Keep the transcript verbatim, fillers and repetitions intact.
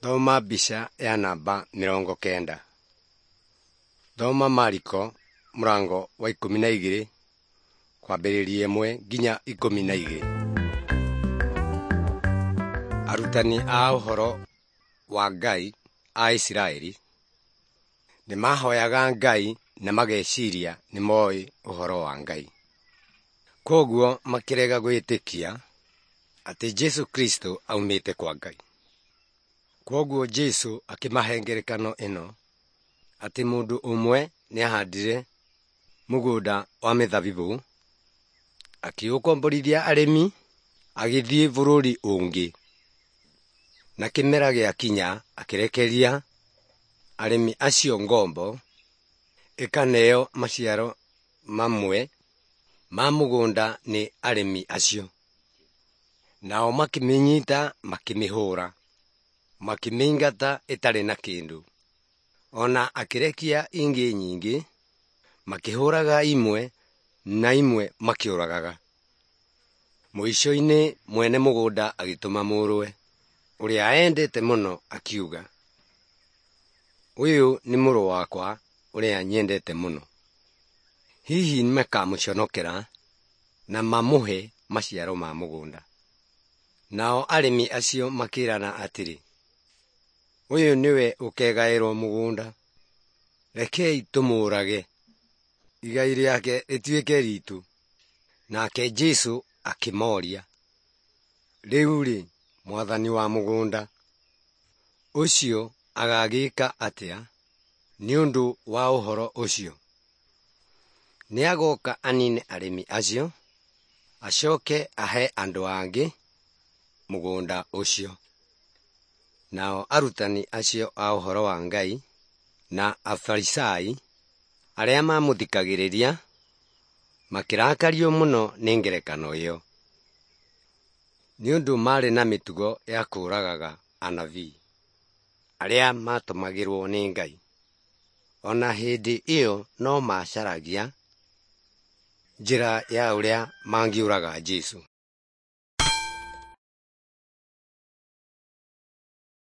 Thoma mbica ya namba mĩrongo kenda. Thoma Mariko mũrango wa ikũmi na igĩrĩ kwambĩrĩria ĩmwe nginya ikũmi na igĩrĩ. Arutani a ũhoro wa Ngai a Isiraeli nĩmahoyaga Ngai na mageciria nĩmoĩ ũhoro wa Ngai. Kwoguo makĩrega gwĩtĩkia atĩ Jesũ Kristo aumĩte kwa Ngai. Kwoguo Jesũ akĩmahe ngerekano ĩno atĩ mũndũ ũmwe nĩahandire mũgũnda wa mĩthabibũ, akĩũkomborithia arĩmi, agĩthiĩ bũrũri ũngĩ. Na kĩmera gĩakinya akĩrekeria arĩmi acio ngombo ĩkaneo maciaro mamwe ma mũgũnda nĩ arĩmi acio. Nao makĩmĩnyita makĩmĩhũũra, makĩmĩingata ĩtarĩ na kĩndũ. O na akĩrekia ingĩ nyingĩ, makĩhũũraga imwe na imwe makĩũragaga. Mũico-inĩ mwene mũgũnda agĩtũma mũrũwe, ũrĩa eendete mũno, akiuga, “Ũyũ nĩ mũrũ wakwa ũrĩa nyendete mũno. Hihi nĩmakamũconokera na mamũhe maciaro ma mũgũnda.” Nao arĩmi acio makĩĩrana atĩrĩ, “Ũyũ nĩwe ũkegaĩrwo mũgũnda. Rekei tũmũũrage, igai rĩake rĩtuĩke riitũ.” Nake Jesũ akĩmooria, “Rĩu-rĩ, mwathani wa mũgũnda ũcio agagĩĩka atĩa nĩ ũndũ wa ũhoro ũcio? Nĩagooka anine arĩmi acio, acooke ahe andũ angĩ mũgũnda ũcio.” Nao arutani acio a ũhoro wa Ngai na Afarisai arĩa maamũthikagĩrĩria makĩrakario mũno nĩ ngerekano ĩyo, nĩ ũndũ maarĩ na mĩtugo ya kũũragaga anabii arĩa maatũmagĩrwo nĩ Ngai. O na hĩndĩ ĩyo no maacaragia njĩra ya ũrĩa mangĩũraga Jesũ.